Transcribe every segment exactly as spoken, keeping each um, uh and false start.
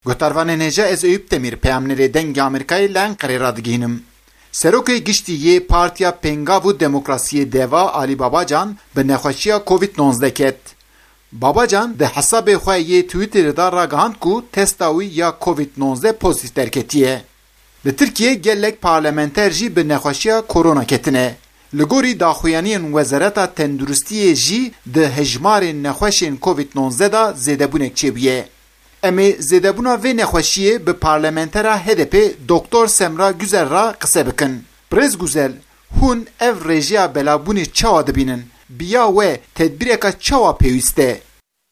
Guhdarvanên hêja, ez Eyûp Demîr, peyamnêrê Dengê Amerîkayê li Enqerê radigihînim. Serokê Giştî yê Partiya Pêngav û Demokrasiyê Deva, Alî Babacan, bi nexweşiya Covid nonzdeh ket. Babacan di hesabê xwe yê Twitterê de ragihand ku testa wî ya Covid nonzdeh pozîtîf derketiye. Li Tirkiyê gelek parlamenter jî bi nexweşiya korona ketine. Li gorî daxuyaniyên Wezareta Tenduristiyê jî di hejmarên nexweşên Covid nonzdeh de zêdebûnek çêbûye. Em ê zêdebûna vê nexweşiyê bi parlamentera H D P Doktor Semra Güzel re qise bikin. Birêz Güzel, hûn ev rêjeya belavbûnê çawa dibînin? Bi ya we tedbîreka çawa pêwîst e?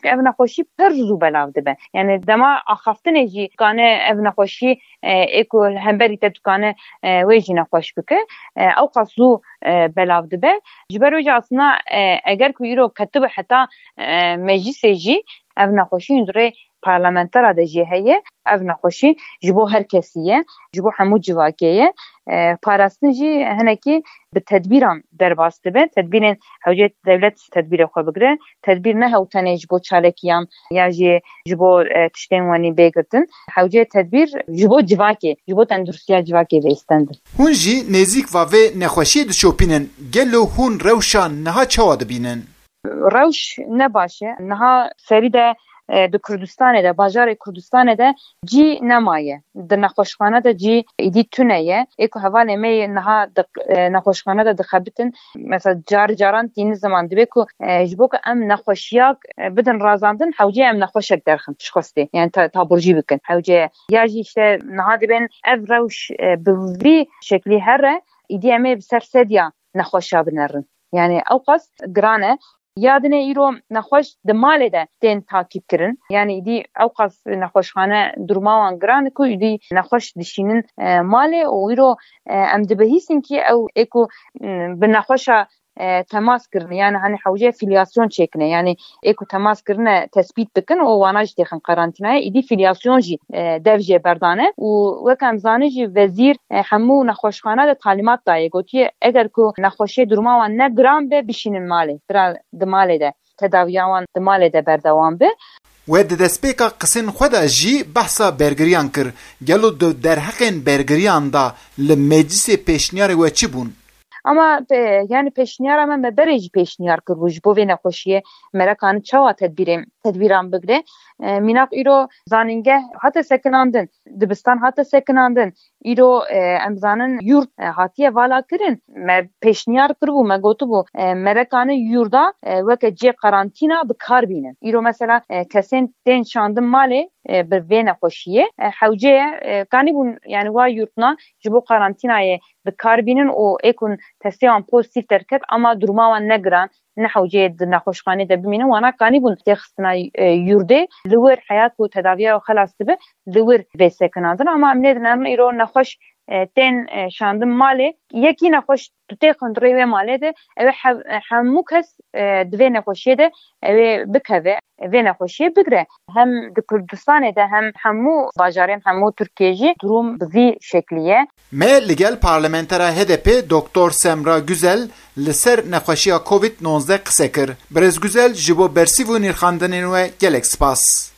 Ev nexweşî pir zû belav dibe. Yani dema axaftinê jî dikane ev nexweşî, e, ê ku li hemberî te dikane, e, wê jî nexweş bike. E, ew qas zû, e, belav dibe. Ji ber wê jî aslında, e, eger ku îro ketibe heta, e, meclisê jî ev nexweşî hûn rê parlamentera de jî heye. Ev nexweşî ji bo her kesî ye, ji bo hemû civakê ye. E, parastin jî hinekî bi tedbîran derbas dibe. Tedbîrên hewcê dewlet tedbîrê xwe bigire. Tedbîr ne hew tenê ji bo çalekiyan ya jî ji bo, e, tiştên wenî bê girtin. Hewcê tedbîr ji bo civakê, ji bo tenduristiya civakê bê stendin. Hûn jî nêzîk va vê nexweşiyê dişopînin. Gelo hûn rewşa niha çawa dibînin? Rewş ne baş e. Niha serî de, e, di Kurdistanê de, bajarê Kurdistanê de cî nemaye. Di nexweşxane de cî îdî tune ye. Ê ku hevalê me yê niha di, e, nexweşxane de dixebitin, mesela car caran tîni ziman dibe ku, e, ji bo ku em nexweşiyak, e, bidin razandin, hewce em nexweşek derxin ji xwestê. Yani ta-, taburcî bikin. Hewce ya jî işte niha dibên ev rewş, e, bi vî şeklî here, îdî em ê bi ser sedya nexweşa binerin. Yani ew qas giran e. Ya dinê îro nexweş di malê de tên takîb kirin. Yani îdî ew qas nexweşxane duruma wan giran e ku îdî nexweş dişînin, e, malê û îro, e, em dibihîsin ki ew ê ku, m, bi nexweşa, e, temas kirin. Yani hani hewce filyasyon çêkine. Yani ê ku temas kirine tespît bikin û wana jî têxin karantînayê. Îdî filyasyon jî, e, dev jê berdane û wek em zanin jî wezîr, e, hemû nexweşxana de talîmat daye. Gotiye eger ku nexweşiyê duruma wan ne giran be bişînin malê. Bira di malê de tedawiya wan di malê de berdewam be. We di destpêka qisên xwe de jî behsa bergiriyan kir. Gelo di derheqên bergiriyan de li meclisê pêşniyarê we çi bûn? Ama pe-, yani pêşniyara me, me berê jî pêşniyar kiribû ji bo vê nexweşiyê merekanin çawa tedbîrê, tedbîran bigire. E, mînak îro zanîngeh hate sekinandin, dibistan hate sekinandin. Îro, e, em zanin yurt, e, hatiye vala kirin. Me pêşniyar kiribû, me gotibû, e, merekanin yurda, e, weke cê karantîna bi kar bînin. Îro mesela, e, kesên tên şandin malê, e, bi vê nexweşiyê, e, hewce ye, e, kanîbûn, yani wa yurtna ji bo karantînayê bi kar bînin û ê ku testê wan pozîtîf derket, ama duruma wan ne giran, ne hewceyê di nexweşxanê de bimînin, wana kanîbûn têxistina, e, yurdê, li wir heya ku tedaviya xelas dibe, li wir vê sekinandin. Ama em nêdinerin îro nexweş, e, tên, e, şandin malê. Yekî nexweş tu têxin rê wê malê de, ew ê hev-, e, hemû kes, e, di vê nexweşiyê de ew ê bikeve, vê nexweşiyê bigire. Hem di Kurdistanê de hem hemû bajarên hemû Tirkiyê jî durum bi vî şeklî ye. Me li gel parlamentera H D P Doktor Semra Güzel li ser nexweşiya Covid nonzdeh qise kir. Birêz Güzel, ji bo bersîv û nirxandinên we gelek spas.